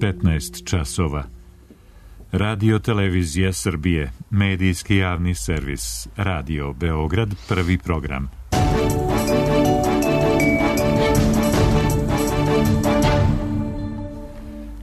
15 časova. Radio Televizija Srbije, medijski javni servis, Radio Beograd, prvi program.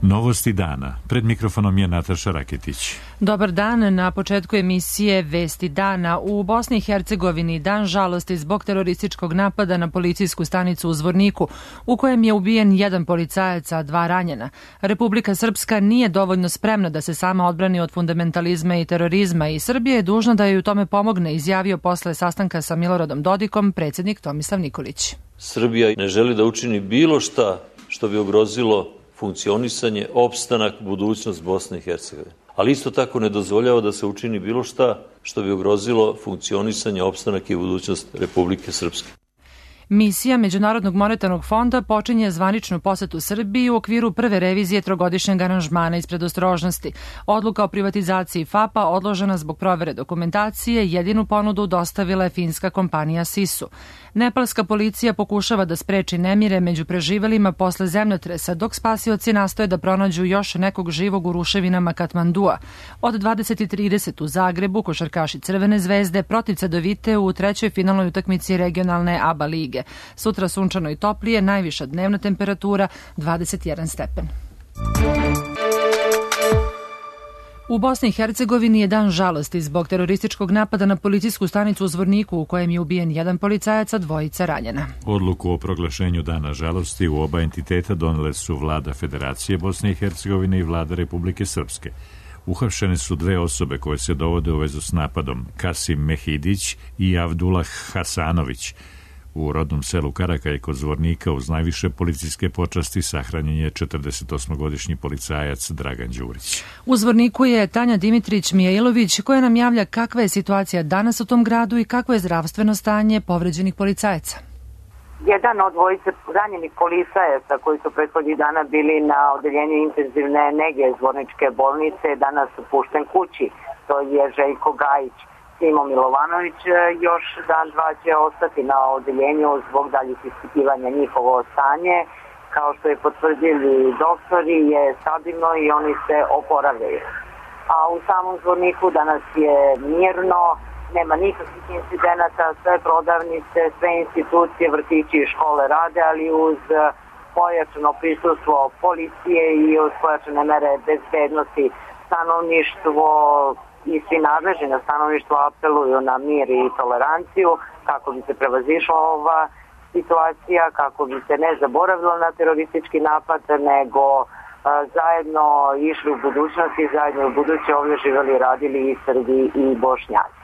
Novosti dana. Pred mikrofonom je Nataša Raketić. Dobar dan. Na početku emisije Vesti dana. U Bosni i Hercegovini dan žalosti zbog terorističkog napada na policijsku stanicu u Zvorniku, u kojem je ubijen jedan policajac, a 2 ranjena. Republika Srpska nije dovoljno spremna da se sama odbrani od fundamentalizma i terorizma i Srbija je dužna da joj u tome pomogne, izjavio posle sastanka sa Miloradom Dodikom predsjednik Tomislav Nikolić. Srbija ne želi da učini bilo šta što bi ugrozilo funkcionisanje, opstanak, budućnost Bosne i Hercegovine. Ali isto tako ne dozvoljava da se učini bilo šta što bi ugrozilo funkcionisanje, opstanak i budućnost Republike Srpske. Misija Međunarodnog monetarnog fonda počinje zvaničnu posetu Srbiji u okviru prve revizije trogodišnjeg aranžmana iz predostrožnosti. Odluka o privatizaciji FAP-a odložena zbog provere dokumentacije, jedinu ponudu dostavila je finska kompanija Sisu. Nepalska policija pokušava da spreči nemire među preživelima posle zemljotresa, dok spasioci nastoje da pronađu još nekog živog u ruševinama Katmandua. Od 20:30 u Zagrebu košarkaši Crvene zvezde protiv Cedevite u trećoj finalnoj utakmici regionalne ABA lige. Sutra sunčano i toplije, najviša dnevna temperatura 21 stepen. U Bosni i Hercegovini je dan žalosti zbog terorističkog napada na policijsku stanicu u Zvorniku, u kojem je ubijen jedan policajac, a 2 ranjena. Odluku o proglašenju dana žalosti u oba entiteta donele su vlada Federacije Bosne i Hercegovine i vlada Republike Srpske. Uhapšene su 2 osobe koje se dovode u vezu s napadom, Kasim Mehidić i Avdullah Hasanović. U rodnom selu Karakaj kod Zvornika uz najviše policijske počasti sahranjen je 48-godišnji policajac Dragan Đurić. U Zvorniku je Tanja Dimitrić Mijailović koja nam javlja kakva je situacija danas u tom gradu i kakvo je zdravstveno stanje povređenih policajaca. Jedan od 2 ranjenih policajaca koji su prethodnih dana bili na odeljenju intenzivne nege Zvorničke bolnice danas pušten kući. To je Željko Gajić. Simo Milovanović još dan 2 će ostati na odeljenju zbog daljih ispitivanja njihovo stanje. Kao što je potvrdili doktori, je stabilno i oni se oporavljaju. A u samom Zvorniku danas je mirno, nema nikakvih incidenata, sve prodavnice, sve institucije, vrtići i škole rade, ali uz pojačano prisustvo policije i uz pojačane mere bezbednosti stanovništvo i svi nadležni na stanovništvu apeluju na mir i toleranciju kako bi se prevazišla ova situacija, kako bi se ne zaboravilo na teroristički napad, nego zajedno išli u budućnosti i zajedno u buduće ovdje živjeli i radili i Srbi i Bošnjaci.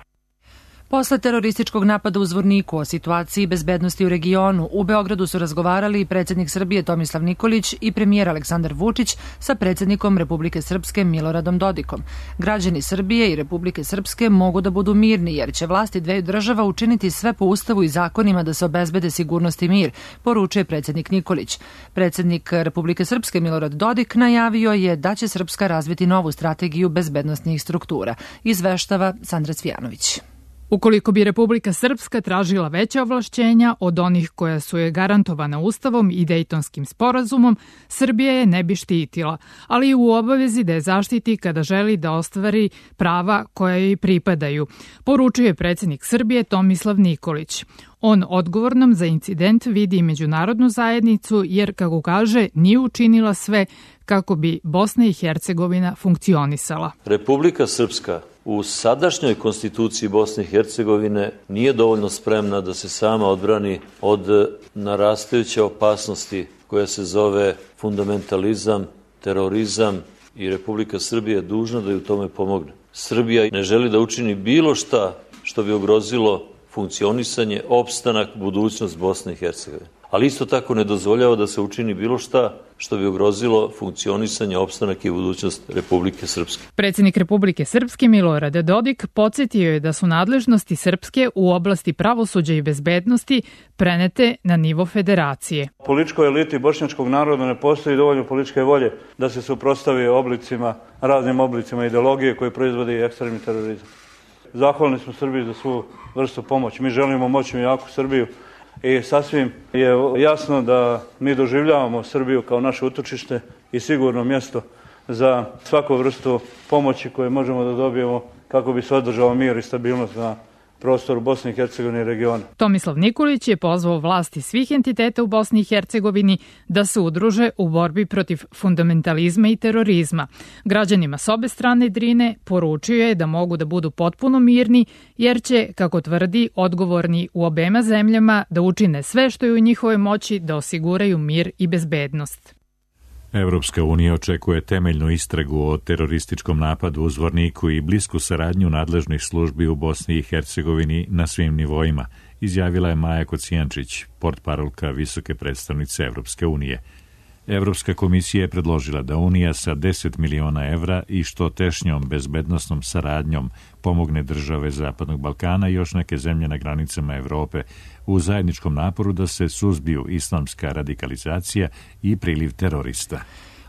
Posle terorističkog napada u Zvorniku o situaciji bezbednosti u regionu, u Beogradu su razgovarali predsjednik Srbije Tomislav Nikolić i premijer Aleksandar Vučić sa predsjednikom Republike Srpske Miloradom Dodikom. Građani Srbije i Republike Srpske mogu da budu mirni jer će vlasti 2 država učiniti sve po ustavu i zakonima da se obezbede sigurnost i mir, poručuje predsjednik Nikolić. Predsjednik Republike Srpske Milorad Dodik najavio je da će Srpska razviti novu strategiju bezbednosnih struktura. Izveštava Sandra Cvijanović. Ukoliko bi Republika Srpska tražila veća ovlašćenja od onih koja su je garantovana Ustavom i Dejtonskim sporazumom, Srbija je ne bi štitila, ali i u obavezi da je zaštiti kada želi da ostvari prava koja joj pripadaju, poručuje predsjednik Srbije Tomislav Nikolić. On odgovornom za incident vidi i međunarodnu zajednicu jer, kako kaže, nije učinila sve kako bi Bosna i Hercegovina funkcionisala. Republika Srpska u sadašnjoj konstituciji Bosne i Hercegovine nije dovoljno spremna da se sama odbrani od narastajuće opasnosti koja se zove fundamentalizam, terorizam i Republika Srbija je dužna da ju tome pomogne. Srbija ne želi da učini bilo šta što bi ugrozilo funkcionisanje, opstanak, budućnost Bosne i Hercegovine. Ali isto tako ne dozvoljava da se učini bilo šta što bi ugrozilo funkcionisanje, opstanak i budućnost Republike Srpske. Predsjednik Republike Srpske Milorad Dodik podsjetio je da su nadležnosti Srpske u oblasti pravosuđa i bezbednosti prenete na nivo federacije. Političkoj eliti bošnjačkog naroda ne postoji dovoljno političke volje da se suprotstavi raznim oblicima ideologije koje proizvode ekstremni terorizam. Zahvalni smo Srbiji za svu vrstu pomoći. Mi želimo moćnu i jaku Srbiju i sasvim je jasno da mi doživljavamo Srbiju kao naše utočište i sigurno mjesto za svaku vrstu pomoći koje možemo da dobijemo kako bi se održao mir i stabilnost na prostoru Bosne i Hercegovine i regiona. Tomislav Nikolić je pozvao vlasti svih entiteta u Bosni i Hercegovini da se udruže u borbi protiv fundamentalizma i terorizma. Građanima s obe strane Drine poručio je da mogu da budu potpuno mirni, jer će, kako tvrdi, odgovorni u obema zemljama da učine sve što je u njihovoj moći da osiguraju mir i bezbednost. Evropska unija očekuje temeljnu istragu o terorističkom napadu u Zvorniku i blisku saradnju nadležnih službi u Bosni i Hercegovini na svim nivoima, izjavila je Maja Kocijančić, portparolka visoke predstavnice Evropske unije. Evropska komisija je predložila da Unija sa 10 miliona evra i što tešnjom bezbednosnom saradnjom pomogne države Zapadnog Balkana i još neke zemlje na granicama Evrope u zajedničkom naporu da se suzbiju islamska radikalizacija i priliv terorista.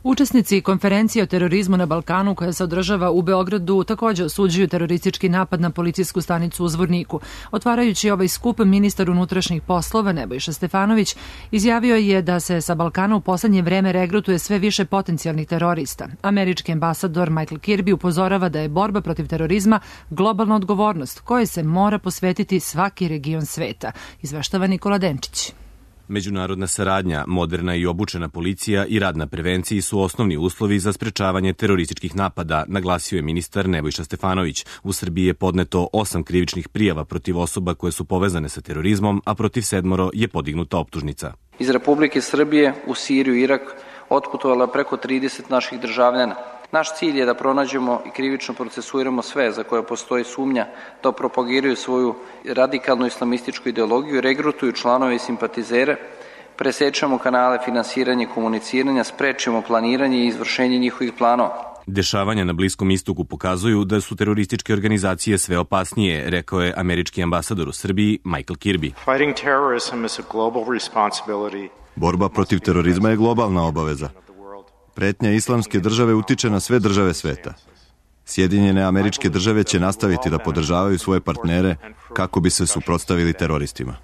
Učesnici konferencije o terorizmu na Balkanu koja se održava u Beogradu također osuđuju teroristički napad na policijsku stanicu u Zvorniku. Otvarajući ovaj skup, ministar unutrašnjih poslova Nebojša Stefanović izjavio je da se sa Balkana u poslednje vreme regrutuje sve više potencijalnih terorista. Američki ambasador Michael Kirby upozorava da je borba protiv terorizma globalna odgovornost kojoj se mora posvetiti svaki region sveta. Izveštava Nikola Denčić. Međunarodna saradnja, moderna i obučena policija i rad na prevenciji su osnovni uslovi za sprečavanje terorističkih napada, naglasio je ministar Nebojša Stefanović. U Srbiji je podneto 8 krivičnih prijava protiv osoba koje su povezane sa terorizmom, a protiv 7 je podignuta optužnica. Iz Republike Srbije u Siriju i Irak otputovala preko 30 naših državljana. Naš cilj je da pronađemo i krivično procesuiramo sve za koje postoji sumnja da propagiraju svoju radikalnu islamističku ideologiju i regrutuju članove i simpatizere, presečemo kanale finansiranja i komuniciranja, sprečimo planiranje i izvršenje njihovih planova. Dešavanja na Bliskom istoku pokazuju da su terorističke organizacije sve opasnije, rekao je američki ambasador u Srbiji Michael Kirby. Borba protiv terorizma je globalna obaveza. Pretnja islamske države utiče na sve države sveta. Sjedinjene Američke Države će nastaviti da podržavaju svoje partnere kako bi se suprotstavili teroristima.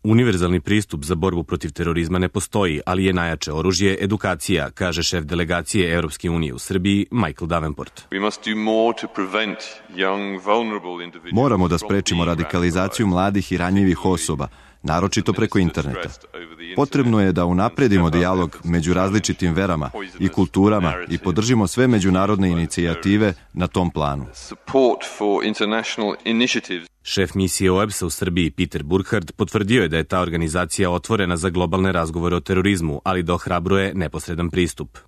Univerzalni pristup za borbu protiv terorizma ne postoji, ali je najjače oružje edukacija, kaže šef delegacije Evropske unije u Srbiji Michael Davenport. Moramo da sprečimo radikalizaciju mladih i ranjivih osoba, naročito preko interneta. Potrebno je da unapredimo dijalog među različitim verama i kulturama i podržimo sve međunarodne inicijative na tom planu. Šef misije OEBS-a u Srbiji Peter Burkhardt potvrdio je da je ta organizacija otvorena za globalne razgovore o terorizmu, ali da ohrabruje neposredan pristup.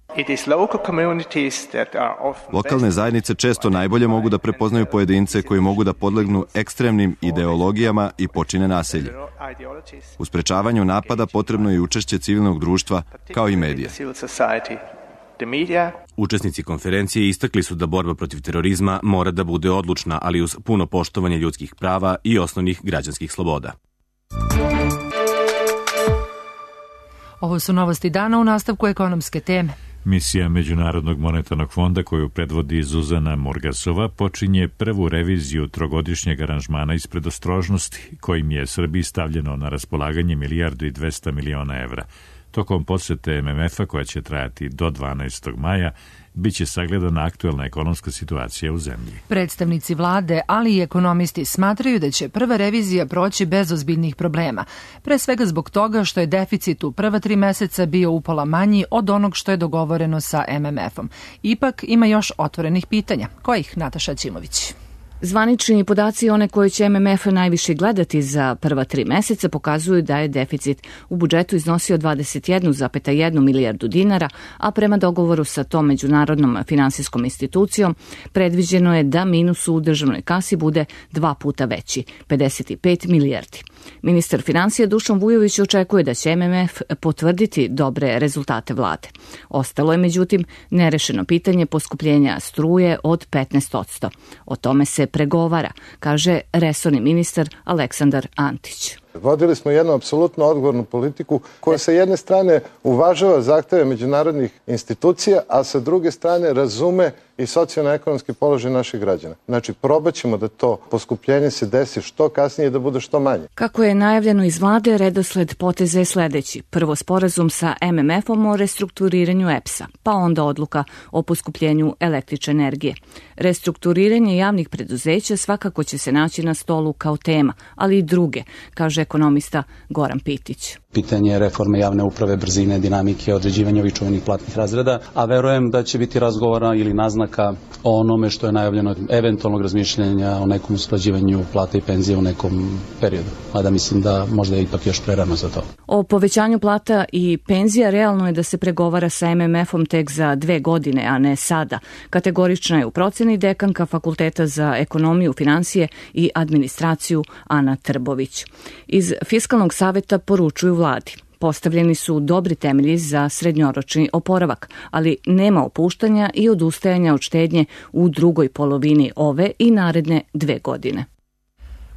Lokalne zajednice često najbolje mogu da prepoznaju pojedince koji mogu da podlegnu ekstremnim ideologijama i počine nasilje. U sprečavanju napada potrebno je i učešće civilnog društva kao i medija. Učesnici konferencije istakli su da borba protiv terorizma mora da bude odlučna, ali uz puno poštovanje ljudskih prava i osnovnih građanskih sloboda. Ovo su novosti dana u nastavku ekonomske teme. Misija Međunarodnog monetarnog fonda koju predvodi Zuzana Morgasova počinje prvu reviziju trogodišnjeg aranžmana iz predostrožnosti kojim je Srbiji stavljeno na raspolaganje 1,2 milijarde evra. Tokom posete MMF-a koja će trajati do 12. maja biće sagledana aktuelna ekonomska situacija u zemlji. Predstavnici vlade, ali i ekonomisti smatraju da će prva revizija proći bez ozbiljnih problema. Pre svega zbog toga što je deficit u prva 3 meseca bio upola manji od onog što je dogovoreno sa MMF-om. Ipak ima još otvorenih pitanja. Kojih, Nataša Ćimović? Zvanični podaci, one koje će MMF najviše gledati za prva 3 meseca, pokazuju da je deficit u budžetu iznosio 21,1 milijardu dinara, a prema dogovoru sa tom međunarodnom finansijskom institucijom predviđeno je da minus u državnoj kasi bude 2 puta veći, 55 milijardi. Ministar finansija Dušan Vujović očekuje da će MMF potvrditi dobre rezultate vlade. Ostalo je, međutim, nerešeno pitanje poskupljenja struje od 15%. O tome se pregovara, kaže resorni ministar Aleksandar Antić. Vodili smo jednu apsolutno odgovornu politiku koja sa jedne strane uvažava zahteve međunarodnih institucija, a sa druge strane razume i socijalno-ekonomski položaj naših građana. Znači, probat ćemo da to poskupljenje se desi što kasnije i da bude što manje. Kako je najavljeno iz vlade, redosled poteza je sledeći. Prvo sporazum sa MMF-om o restrukturiranju EPS-a, pa onda odluka o poskupljenju električne energije. Restrukturiranje javnih preduzeća svakako će se naći na stolu kao tema, ali i druge, kaže ekonomista Goran Pitić. Pitanje reforme javne uprave, brzine, dinamike, određivanja ovih čuvenih platnih razreda, a verujem da će biti razgovora ili naznaka o onome što je najavljeno eventualnog razmišljanja o nekom usklađivanju plata i penzije u nekom periodu. Mada mislim da možda je ipak još prerano za to. O povećanju plata i penzija realno je da se pregovara sa MMF-om tek za 2 godine, a ne sada. Kategorična je u proceni dekanka Fakulteta za ekonomiju, finansije i administraciju Ana Trbović. Iz Fiskalnog saveta poručuju vladi. Postavljeni su dobri temelji za srednjoročni oporavak, ali nema opuštanja i odustajanja od štednje u drugoj polovini ove i naredne 2 godine.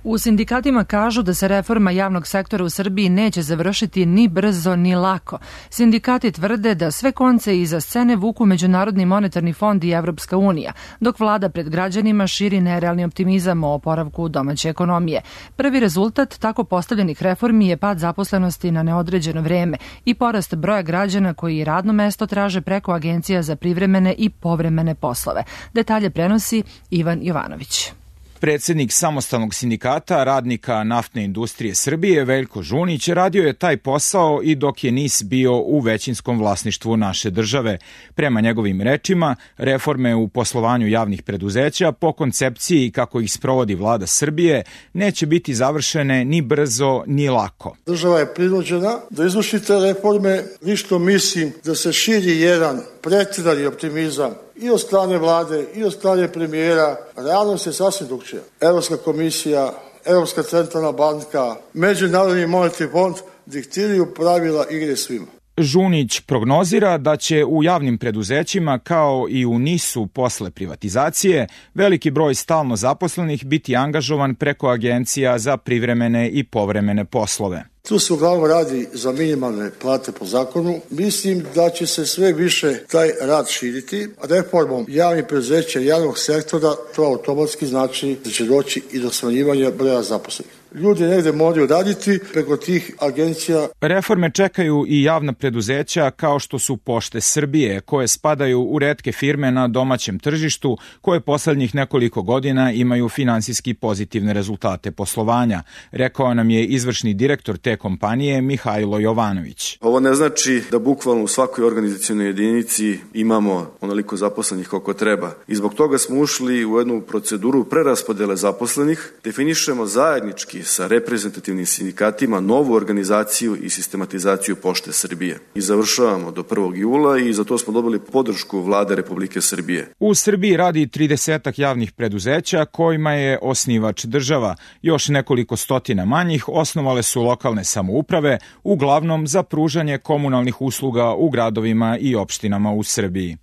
U sindikatima kažu da se reforma javnog sektora u Srbiji neće završiti ni brzo ni lako. Sindikati tvrde da sve konce iza scene vuku Međunarodni monetarni fond i Evropska unija, dok vlada pred građanima širi nerealni optimizam o oporavku domaće ekonomije. Prvi rezultat tako postavljenih reformi je pad zaposlenosti na neodređeno vreme i porast broja građana koji radno mesto traže preko agencija za privremene i povremene poslove. Detalje prenosi Ivan Jovanović. Predsednik samostalnog sindikata radnika naftne industrije Srbije, Veljko Žunić, radio je taj posao i dok je NIS bio u većinskom vlasništvu naše države. Prema njegovim rečima, reforme u poslovanju javnih preduzeća po koncepciji kako ih sprovodi vlada Srbije neće biti završene ni brzo ni lako. Država je prinuđena da izvrši te reforme, lično mislim da se širi jedan pretirani optimizam i od strane vlade i od strane premijera. Realnost je sasvim drugčija. Evropska komisija, Evropska centralna banka, Međunarodni monetarni fond diktiraju pravila igre svima. Žunić prognozira da će u javnim preduzećima kao i u NIS-u posle privatizacije veliki broj stalno zaposlenih biti angažovan preko agencija za privremene i povremene poslove. Tu se uglavnom radi za minimalne plate po zakonu. Mislim da će se sve više taj rad širiti. Reformom javnih preduzeća i javnog sektora to automatski znači da će doći i do smanjivanja broja zaposlenih. Ljudi negde moraju raditi preko tih agencija. Reforme čekaju i javna preduzeća kao što su Pošte Srbije, koje spadaju u retke firme na domaćem tržištu, koje poslednjih nekoliko godina imaju finansijski pozitivne rezultate poslovanja, rekao nam je izvršni direktor te kompanije Mihajlo Jovanović. Ovo ne znači da bukvalno u svakoj organizacionoj jedinici imamo onoliko zaposlenih koliko treba. I zbog toga smo ušli u jednu proceduru preraspodele zaposlenih, definišemo zajednički sa reprezentativnim sindikatima novu organizaciju i sistematizaciju Pošte Srbije. I završavamo do 1. jula i za to smo dobili podršku vlade Republike Srbije. U Srbiji radi 30 javnih preduzeća kojima je osnivač država. Još nekoliko stotina manjih osnovale su lokalne samouprave, uglavnom za pružanje komunalnih usluga u gradovima i opštinama u Srbiji.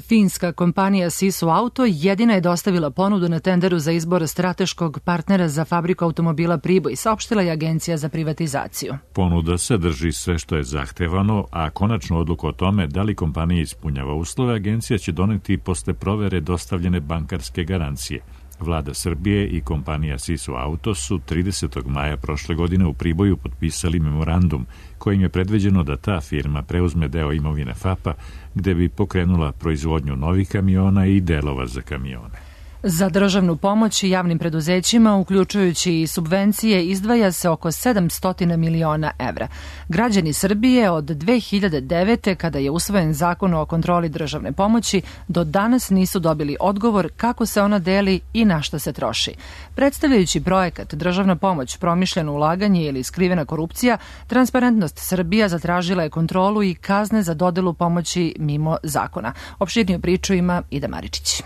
Finska kompanija Sisu Auto jedina je dostavila ponudu na tenderu za izbor strateškog partnera za fabriku automobila Priboj, saopštila je Agencija za privatizaciju. Ponuda sadrži sve što je zahtevano, a konačnu odluku o tome da li kompanija ispunjava uslove, agencija će doneti posle provere dostavljene bankarske garancije. Vlada Srbije i kompanija Sisu Auto su 30. maja prošle godine u Priboju potpisali memorandum kojim je predviđeno da ta firma preuzme deo imovine FAP-a gde bi pokrenula proizvodnju novih kamiona i delova za kamione. Za državnu pomoć javnim preduzećima, uključujući i subvencije, izdvaja se oko 700 miliona evra. Građani Srbije od 2009. kada je usvojen zakon o kontroli državne pomoći, do danas nisu dobili odgovor kako se ona deli i na šta se troši. Predstavljajući projekat Državna pomoć, promišljeno ulaganje ili skrivena korupcija, Transparentnost Srbija zatražila je kontrolu i kazne za dodelu pomoći mimo zakona. Opširniju priču ima Ida Maričić.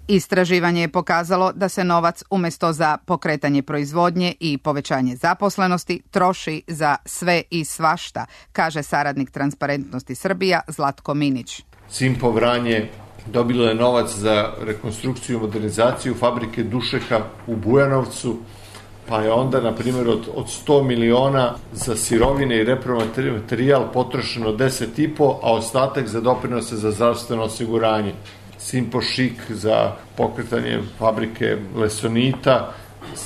Istraživanje je pokazalo da se novac umesto za pokretanje proizvodnje i povećanje zaposlenosti troši za sve i svašta, kaže saradnik Transparentnosti Srbija Zlatko Minić. Simpo Vranje dobilo je novac za rekonstrukciju i modernizaciju fabrike dušeka u Bujanovcu, pa je onda, na primjer, od 100 miliona za sirovine i repromaterijal potrošeno 10,5, a ostatak za doprinose za zdravstveno osiguranje. Simpošik za pokretanje fabrike lesonita,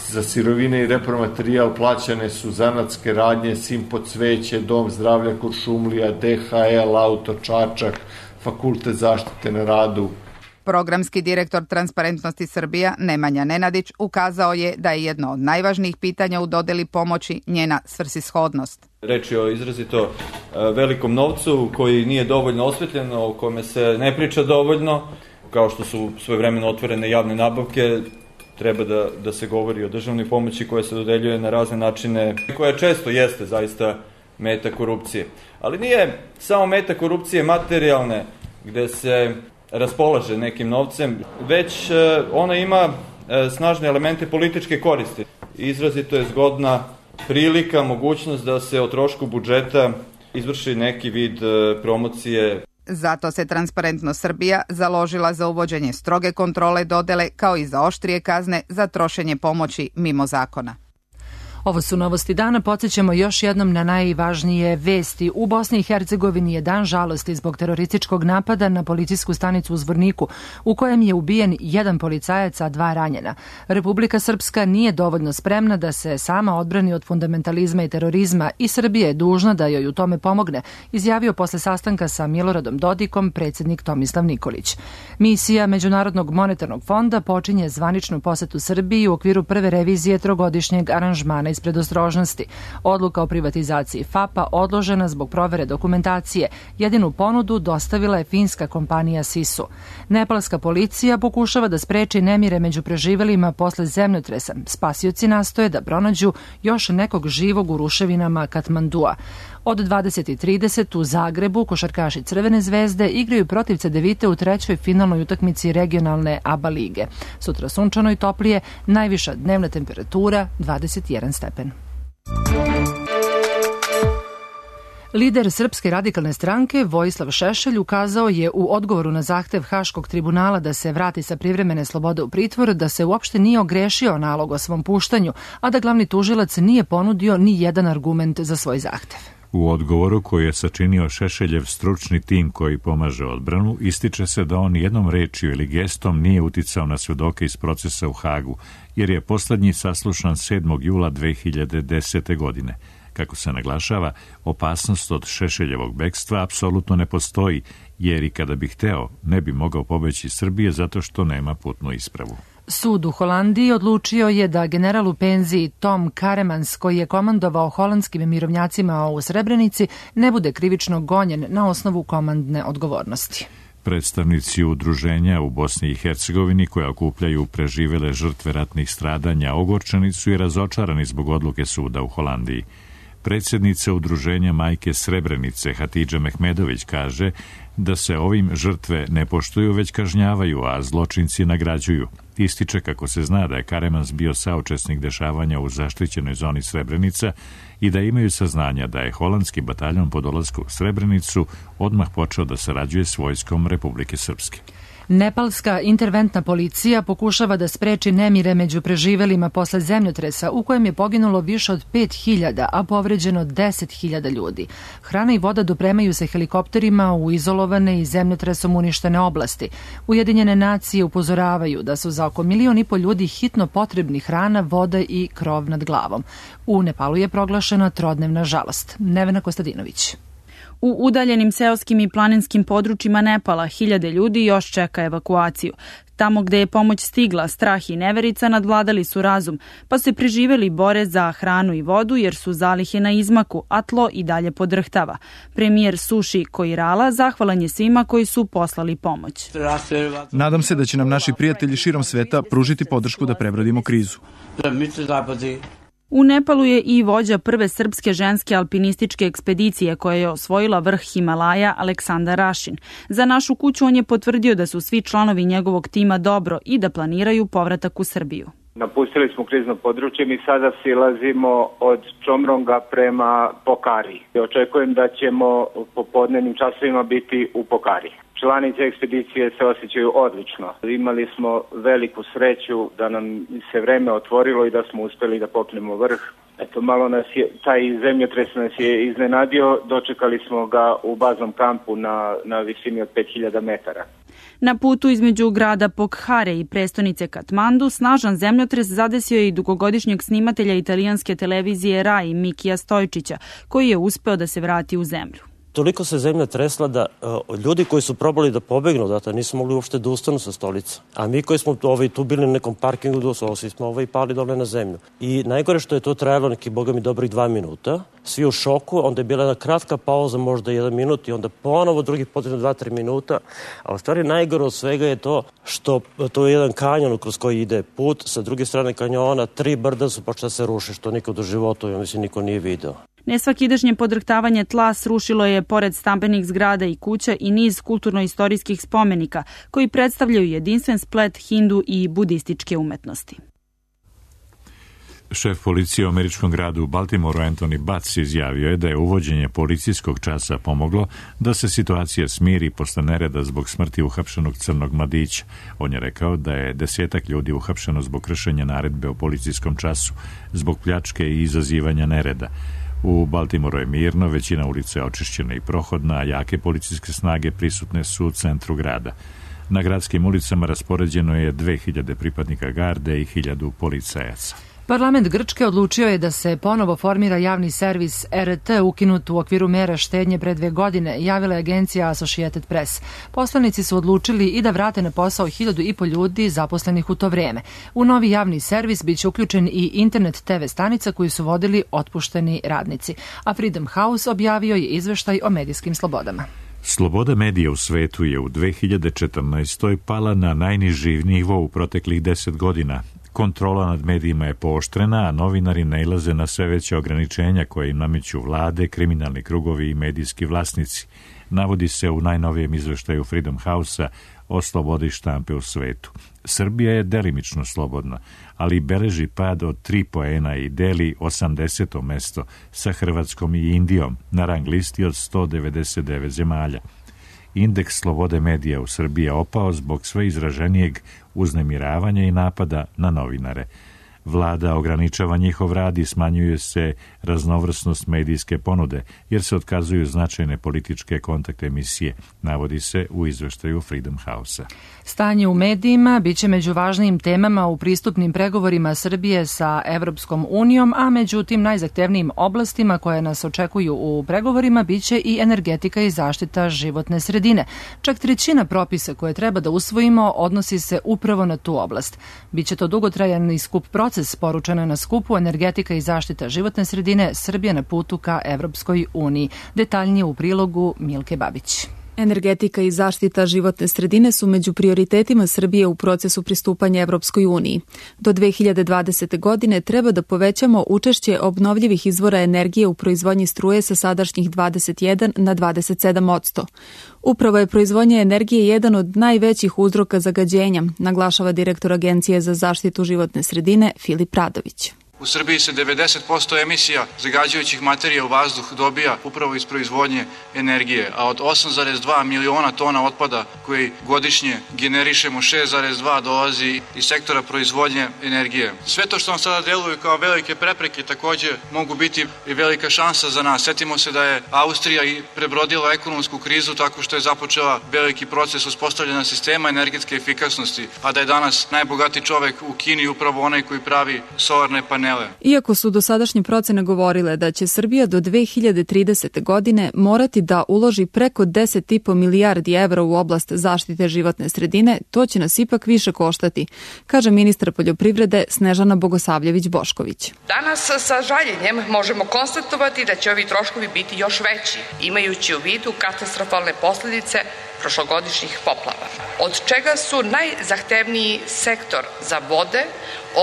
za sirovine i repromaterijal plaćane su zanatske radnje, Simpo cveće, Dom zdravlja Kuršumlija, DHL, Auto Čačak, Fakultet zaštite na radu. Programski direktor Transparentnosti Srbija Nemanja Nenadić ukazao je da je jedno od najvažnijih pitanja u dodeli pomoći njena svrsishodnost. Reč je o izrazito velikom novcu koji nije dovoljno osvetljen, o kome se ne priča dovoljno, kao što su svojevremeno otvorene javne nabavke. Treba da se govori o državnoj pomoći koja se dodeljuje na razne načine, koja često jeste zaista meta korupcije. Ali nije samo meta korupcije materijalne, gde se raspolaže nekim novcem, već ona ima snažne elemente političke koristi. Izrazito je zgodna prilika, mogućnost da se o trošku budžeta izvrši neki vid promocije. Zato se Transparentnost Srbija založila za uvođenje stroge kontrole dodele kao i za oštrije kazne za trošenje pomoći mimo zakona. Ovo su novosti dana. Podsjećamo još jednom na najvažnije vesti. U Bosni i Hercegovini je dan žalosti zbog terorističkog napada na policijsku stanicu u Zvorniku, u kojem je ubijen jedan policajac, a 2 ranjena. Republika Srpska nije dovoljno spremna da se sama odbrani od fundamentalizma i terorizma i Srbija je dužna da joj u tome pomogne, izjavio posle sastanka sa Miloradom Dodikom predsjednik Tomislav Nikolić. Misija Međunarodnog monetarnog fonda počinje zvaničnu posetu Srbiji u okviru prve revizije trogodišnjeg aranžmana iz predostrožnosti. Odluka o privatizaciji FAP-a odložena zbog provere dokumentacije. Jedinu ponudu dostavila je finska kompanija Sisu. Nepalska policija pokušava da spreči nemire među preživelima posle zemljotresa. Spasioci nastoje da pronađu još nekog živog u ruševinama Katmandua. Od 20:30 u Zagrebu košarkaši Crvene zvezde igraju protiv Cedevite u 3. finalnoj utakmici regionalne ABA lige. Sutra sunčano i toplije, najviša dnevna temperatura 21 stepen. Lider Srpske radikalne stranke Vojislav Šešelj ukazao je u odgovoru na zahtev Haškog tribunala da se vrati sa privremene slobode u pritvor da se uopšte nije ogrešio nalog o svom puštanju, a da glavni tužilac nije ponudio ni jedan argument za svoj zahtev. U odgovoru koji je sačinio Šešeljev stručni tim koji pomaže odbranu, ističe se da on jednom rečju ili gestom nije uticao na svedoke iz procesa u Hagu, jer je poslednji saslušan 7. jula 2010. godine. Kako se naglašava, opasnost od Šešeljevog bekstva apsolutno ne postoji, jer i kada bi hteo, ne bi mogao pobeći iz Srbije zato što nema putnu ispravu. Sud u Holandiji odlučio je da general u penziji Tom Karemans, koji je komandovao holandskim mirovnjacima u Srebrenici, ne bude krivično gonjen na osnovu komandne odgovornosti. Predstavnici udruženja u Bosni i Hercegovini koja okupljaju preživele žrtve ratnih stradanja ogorčeni su i razočarani zbog odluke suda u Holandiji. Predsjednica udruženja Majke Srebrenice Hatidža Mehmedović kaže da se ovim žrtve ne poštuju već kažnjavaju, a zločinci nagrađuju. Ističe kako se zna da je Karemans bio saučesnik dešavanja u zaštićenoj zoni Srebrenica i da imaju saznanja da je holandski bataljon po dolasku u Srebrenicu odmah počeo da sarađuje s vojskom Republike Srpske. Nepalska interventna policija pokušava da spreči nemire među preživelima posle zemljotresa u kojem je poginulo više od 5.000, a povređeno 10.000 ljudi. Hrana i voda dopremaju se helikopterima u izolovane i zemljotresom uništene oblasti. Ujedinjene nacije upozoravaju da su za oko 1,5 miliona ljudi hitno potrebni hrana, voda i krov nad glavom. U Nepalu je proglašena trodnevna žalost. Nevena Kostadinović. U udaljenim seoskim i planinskim područjima Nepala 1000 ljudi još čeka evakuaciju. Tamo gde je pomoć stigla, strah i neverica nadvladali su razum, pa se preživeli bore za hranu i vodu jer su zalihe na izmaku, a tlo i dalje podrhtava. Premijer Suši Koirala zahvalan je svima koji su poslali pomoć. Nadam se da će nam naši prijatelji širom sveta pružiti podršku da prebrodimo krizu. U Nepalu je i vođa prve srpske ženske alpinističke ekspedicije koja je osvojila vrh Himalaja, Aleksandar Rašin. Za Našu kuću on je potvrdio da su svi članovi njegovog tima dobro i da planiraju povratak u Srbiju. Napustili smo krizno područje, mi sada silazimo od Čomronga prema Pokari. Očekujem da ćemo u popodnevnim časovima biti u Pokari. Članice ekspedicije se osjećaju odlično. Imali smo veliku sreću da nam se vreme otvorilo i da smo uspeli da popnemo vrh. Eto, malo nas je, taj zemljotres nas je iznenadio, dočekali smo ga u baznom kampu na visini od 5000 metara. Na putu između grada Pokhare i prestonice Katmandu snažan zemljotres zadesio je i dugogodišnjeg snimatelja italijanske televizije RAI Mikija Stojčića, koji je uspeo da se vrati u zemlju. Toliko se zemlja tresla da ljudi koji su probali da pobegnu odatle nisu mogli uopšte da ustanu sa stolica. A mi koji smo tu bili na nekom parkingu, svi smo pali dole na zemlju. I najgore što je to trajalo neki, boga mi, dobrih 2 minuta. Svi u šoku, onda je bila jedna kratka pauza, možda 1 minut i onda ponovo drugi potrebno 2-3 minuta. A u stvari najgore od svega je to što to je jedan kanjon kroz koji ide put. Sa druge strane kanjona 3 brda su počela se ruše, što nikad u životu, ja mislim, niko nije video. Nesvakidašnje podrhtavanje tla srušilo je pored stambenih zgrada i kuća i niz kulturno-istorijskih spomenika koji predstavljaju jedinstven splet hindu i budističke umetnosti. Šef policije u američkom gradu u Baltimoru Anthony Batts izjavio je da je uvođenje policijskog časa pomoglo da se situacija smiri posle nereda zbog smrti uhapšenog crnog mladića. On je rekao da je 10 ljudi uhapšeno zbog kršenja naredbe o policijskom času, zbog pljačke i izazivanja nereda. U Baltimoru je mirno, većina ulica je očišćena i prohodna, a jake policijske snage prisutne su u centru grada. Na gradskim ulicama raspoređeno je 2000 pripadnika garde i 1000 policajaca. Parlament Grčke odlučio je da se ponovo formira javni servis RT ukinut u okviru mera štednje pre 2 godine, javila je agencija Associated Press. Poslanici su odlučili i da vrate na posao 1500 ljudi zaposlenih u to vreme. U novi javni servis biće uključen i internet TV stanica koju su vodili otpušteni radnici. A Freedom House objavio je izveštaj o medijskim slobodama. Sloboda medija u svetu je u 2014. pala na najniži nivo u proteklih 10 godina. Kontrola nad medijima je pooštrena, a novinari nailaze na sve veće ograničenja koje im nameću vlade, kriminalni krugovi i medijski vlasnici. Navodi se u najnovijem izveštaju Freedom House-a o slobodi štampe u svetu. Srbija je delimično slobodna, ali beleži pad od 3 poena i deli 80. mesto sa Hrvatskom i Indijom na rang listi od 199 zemalja. Indeks slobode medija u Srbiji je opao zbog sve izraženijeg uznemiravanja i napada na novinare. Vlada ograničava njihov rad i smanjuje se raznovrsnost medijske ponude, jer se otkazuju značajne političke kontakt emisije, navodi se u izveštaju Freedom House-a. Stanje u medijima biće među važnijim temama u pristupnim pregovorima Srbije sa Evropskom unijom, a među tim najzahtevnijim oblastima koje nas očekuju u pregovorima biće i energetika i zaštita životne sredine. Čak 1/3 propisa koje treba da usvojimo odnosi se upravo na tu oblast. Biće to dugotrajan i skup proces, poručeno je na skupu Energetika i zaštita životne sredine, Srbija na putu ka Evropskoj uniji. Detaljnije u prilogu Milke Babić. Energetika i zaštita životne sredine su među prioritetima Srbije u procesu pristupanja Evropskoj uniji. Do 2020. godine treba da povećamo učešće obnovljivih izvora energije u proizvodnji struje sa sadašnjih 21 na 27%. Upravo je proizvodnja energije jedan od najvećih uzroka zagađenja, naglašava direktor Agencije za zaštitu životne sredine Filip Radović. U Srbiji se 90% emisija zagađujućih materija u vazduh dobija upravo iz proizvodnje energije, a od 8,2 miliona tona otpada koji godišnje generišemo, 6,2 dolazi iz sektora proizvodnje energije. Sve to što vam sada deluju kao velike prepreke takođe mogu biti i velika šansa za nas. Setimo se da je Austrija i prebrodila ekonomsku krizu tako što je započela veliki proces uspostavljanja sistema energetske efikasnosti, a da je danas najbogatiji čovek u Kini upravo onaj koji pravi solarne panele. Iako su dosadašnje procene govorile da će Srbija do 2030. godine morati da uloži preko 10,5 milijardi evra u oblast zaštite životne sredine, to će nas ipak više koštati, kaže ministar poljoprivrede Snežana Bogosavljević-Bošković. Danas sa žaljenjem možemo konstatovati da će ovi troškovi biti još veći, imajući u vidu katastrofalne posledice prošlogodišnjih poplava, od čega su najzahtevniji sektor za vode,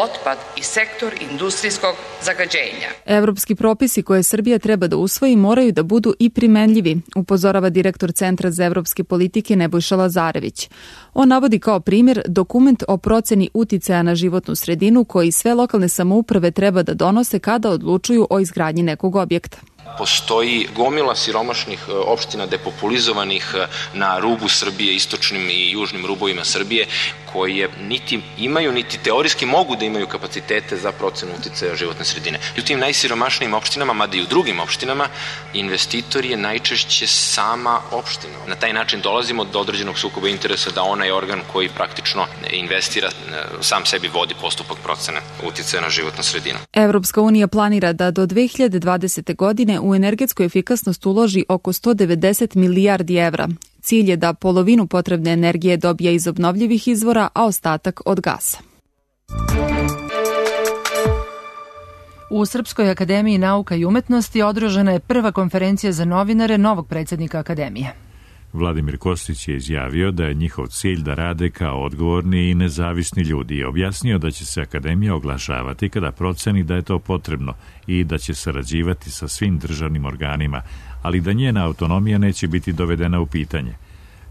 otpad i sektor industrijskog zagađenja. Evropski propisi koje Srbija treba da usvoji moraju da budu i primenljivi, upozorava direktor Centra za evropske politike Nebojša Lazarević. On navodi kao primjer dokument o proceni uticaja na životnu sredinu koji sve lokalne samouprave treba da donose kada odlučuju o izgradnji nekog objekta. Postoji gomila siromašnih opština depopulizovanih na rubu Srbije, istočnim i južnim rubovima Srbije, koje niti imaju, niti teorijski mogu da imaju kapacitete za procenu uticaja životne sredine. I u tim najsiromašnijim opštinama, mada i u drugim opštinama, investitor je najčešće sama opština. Na taj način dolazimo do određenog sukoba interesa da onaj organ koji praktično investira sam sebi vodi postupak procene uticaja na životnu sredinu. Evropska unija planira da do 2020. godine u energetsku efikasnost uloži oko 190 milijardi evra. Cilj je da polovinu potrebne energije dobije iz obnovljivih izvora, a ostatak od gasa. U Srpskoj akademiji nauka i umetnosti održana je prva konferencija za novinare novog predsjednika akademije. Vladimir Kostić je izjavio da je njihov cilj da rade kao odgovorni i nezavisni ljudi i objasnio da će se akademija oglašavati kada proceni da je to potrebno i da će sarađivati sa svim državnim organima, ali da njena autonomija neće biti dovedena u pitanje.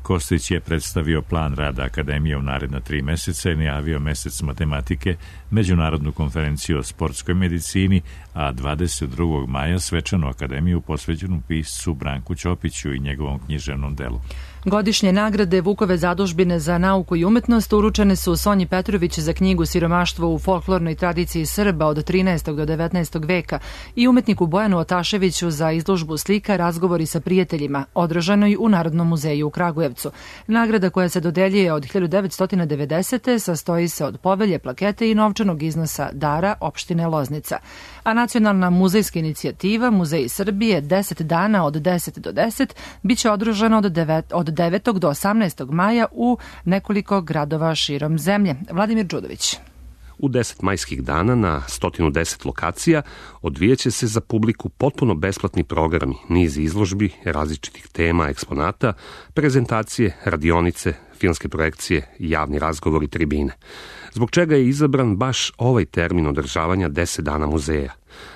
Kostić je predstavio plan rada akademije u naredna 3 meseca i najavio mesec matematike, međunarodnu konferenciju o sportskoj medicini, a 22. maja svečanu akademiju posvećenu piscu Branku Ćopiću i njegovom književnom delu. Godišnje nagrade Vukove zadužbine za nauku i umetnost uručene su Sonji Petrović za knjigu Siromaštvo u folklornoj tradiciji Srba od 13. do 19. veka i umetniku Bojanu Otaševiću za izložbu slika Razgovori sa prijateljima, održanoj u Narodnom muzeju u Kragujevcu. Nagrada koja se dodeljuje od 1990. sastoji se od povelje, plakete i novčanog iznosa dara opštine Loznica. A nacionalna muzejska inicijativa Muzeji Srbije 10 dana od 10 do 10 biće održana od 9. do 18. maja u nekoliko gradova širom zemlje. Vladimir Đudović. U 10 majskih dana na 110 lokacija odvijeće se za publiku potpuno besplatni programi, niz izložbi, različitih tema, eksponata, prezentacije, radionice, filmske projekcije, javni razgovori, tribine. Zbog čega je izabran baš ovaj termin održavanja 10 dana muzeja?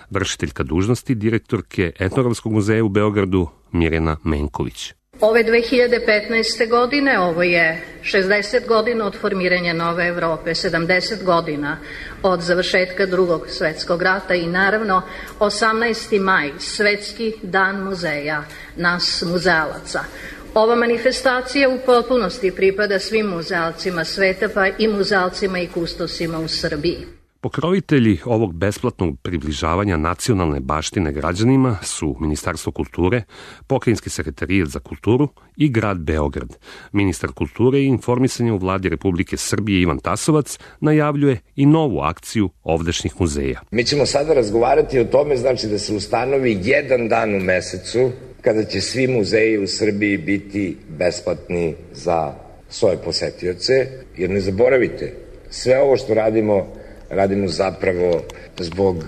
Vršiteljka dužnosti direktorke Etnografskog muzeja u Beogradu Mirjana Menković. Ove 2015. godine, ovo je 60 godina od formiranja Nove Evrope, 70 godina od završetka Drugog svjetskog rata i naravno 18. maj, Svetski dan muzeja, nas muzealaca. Ova manifestacija u potpunosti pripada svim muzealcima sveta, pa i muzealcima i kustosima u Srbiji. Pokrovitelji ovog besplatnog približavanja nacionalne baštine građanima su Ministarstvo kulture, Pokrajinski sekretarijat za kulturu i grad Beograd. Ministar kulture i informisanja u vladi Republike Srbije Ivan Tasovac najavljuje i novu akciju ovdašnjih muzeja. Mi ćemo sada razgovarati o tome, znači da se ustanovi jedan dan u mesecu kada će svi muzeji u Srbiji biti besplatni za svoje posetioce, jer ne zaboravite, sve ovo što radimo zapravo zbog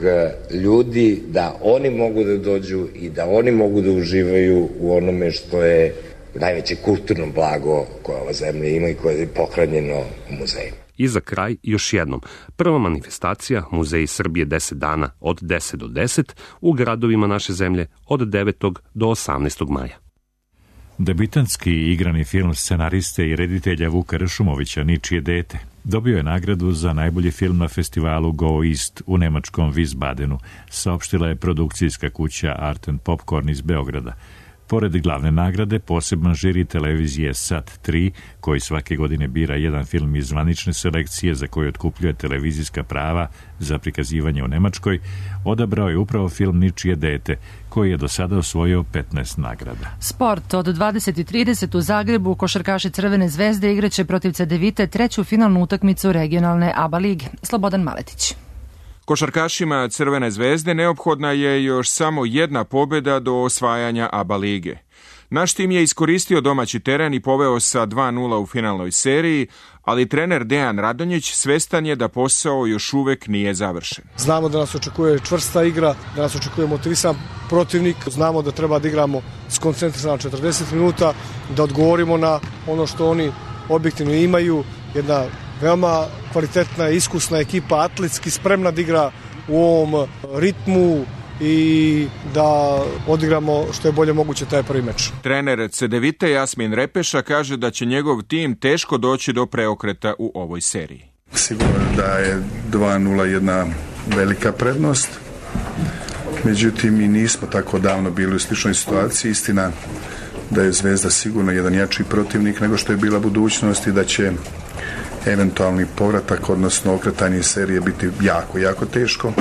ljudi, da oni mogu da dođu i da oni mogu da uživaju u onome što je najveće kulturno blago koje ova zemlja ima i koje je pohranjeno u muzejima. I za kraj još jednom, prva manifestacija Muzeji Srbije 10 dana od 10 do 10 u gradovima naše zemlje od 9. do 18. maja. Debitanski igrani film scenariste i reditelja Vuka Ršumovića Ničije dete dobio je nagradu za najbolji film na festivalu Go East u nemačkom Wiesbadenu, saopštila je produkcijska kuća Art and Popcorn iz Beograda. Pored glavne nagrade, poseban žiri televizije Sat 3, koji svake godine bira jedan film iz zvanične selekcije za koju otkupljuje televizijska prava za prikazivanje u Nemačkoj, odabrao je upravo film Ničije dete, koji je do sada osvojio 15 nagrada. Sport od 20:30 u Zagrebu košarkaši Crvene zvezde igraće protiv Cedevite treću finalnu utakmicu regionalne ABA lige. Slobodan Maletić. Košarkašima Crvene zvezde neophodna je još samo jedna pobjeda do osvajanja ABA lige. Naš tim je iskoristio domaći teren i poveo sa 2:0 u finalnoj seriji, ali trener Dejan Radonjić svestan je da posao još uvek nije završen. Znamo da nas očekuje čvrsta igra, da nas očekuje motivisan protivnik, znamo da treba da igramo skoncentrisano 40 minuta, da odgovorimo na ono što oni objektivno imaju, jedna veoma kvalitetna, iskusna ekipa, atletski spremna da igra u ovom ritmu i da odigramo što je bolje moguće taj prvi meč. Trener Cedevite Jasmin Repeša kaže da će njegov tim teško doći do preokreta u ovoj seriji. Sigurno da je 2:0 jedna velika prednost, međutim i nismo tako davno bili u sličnoj situaciji. Istina da je Zvezda sigurno jedan jači protivnik nego što je bila budućnost i da će eventualni povratak, odnosno okretanje serije biti jako, jako teško.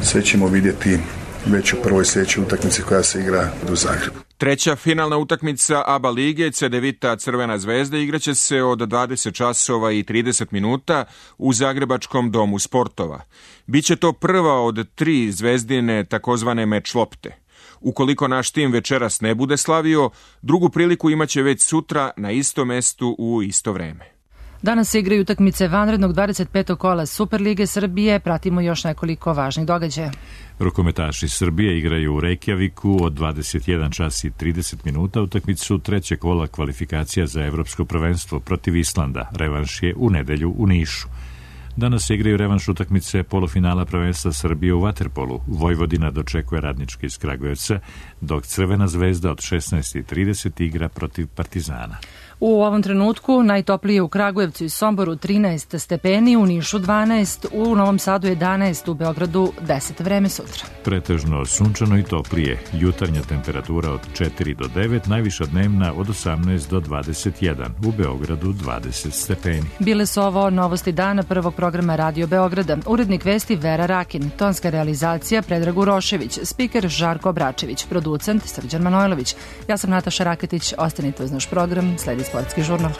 Sve ćemo vidjeti već u prvoj sljedećoj utakmici koja se igra u Zagrebu. Treća finalna utakmica ABA lige Cedevita Crvena zvezda igraće se od 20 časova i 30 minuta u Zagrebačkom domu sportova. Biće to prva od 3 zvezdine takozvane meč lopte. Ukoliko naš tim večeras ne bude slavio, drugu priliku imaće već sutra na istom mestu u isto vreme. Danas se igraju utakmice vanrednog 25. kola Superlige Srbije. Pratimo još nekoliko važnih događaja. Rukometaši Srbije igraju u Reykjaviku od 21 čas i 30 minuta utakmicu trećeg kola kvalifikacija za evropsko prvenstvo protiv Islanda. Revanš je u nedelju u Nišu. Danas se igraju revanš utakmice polufinala prvenstva Srbije u vaterpolu. Vojvodina dočekuje Radnički iz Kragujevca, dok Crvena zvezda od 16:30 igra protiv Partizana. U ovom trenutku najtoplije u Kragujevcu i Somboru 13 stepeni, u Nišu 12, u Novom Sadu 11, u Beogradu 10. Vreme sutra. Pretežno sunčano i toplije. Jutarnja temperatura od 4 do 9, najviša dnevna od 18 do 21, u Beogradu 20 stepeni. Bile su ovo novosti dana prvog programa Radio Beograda. Urednik vesti Vera Rakin, tonska realizacija Predrag Urošević, spiker Žarko Bračević, producent Srđan Manojlović. Ja sam Nataša Raketić, ostanite uz naš program, sledi Sportski žurnal.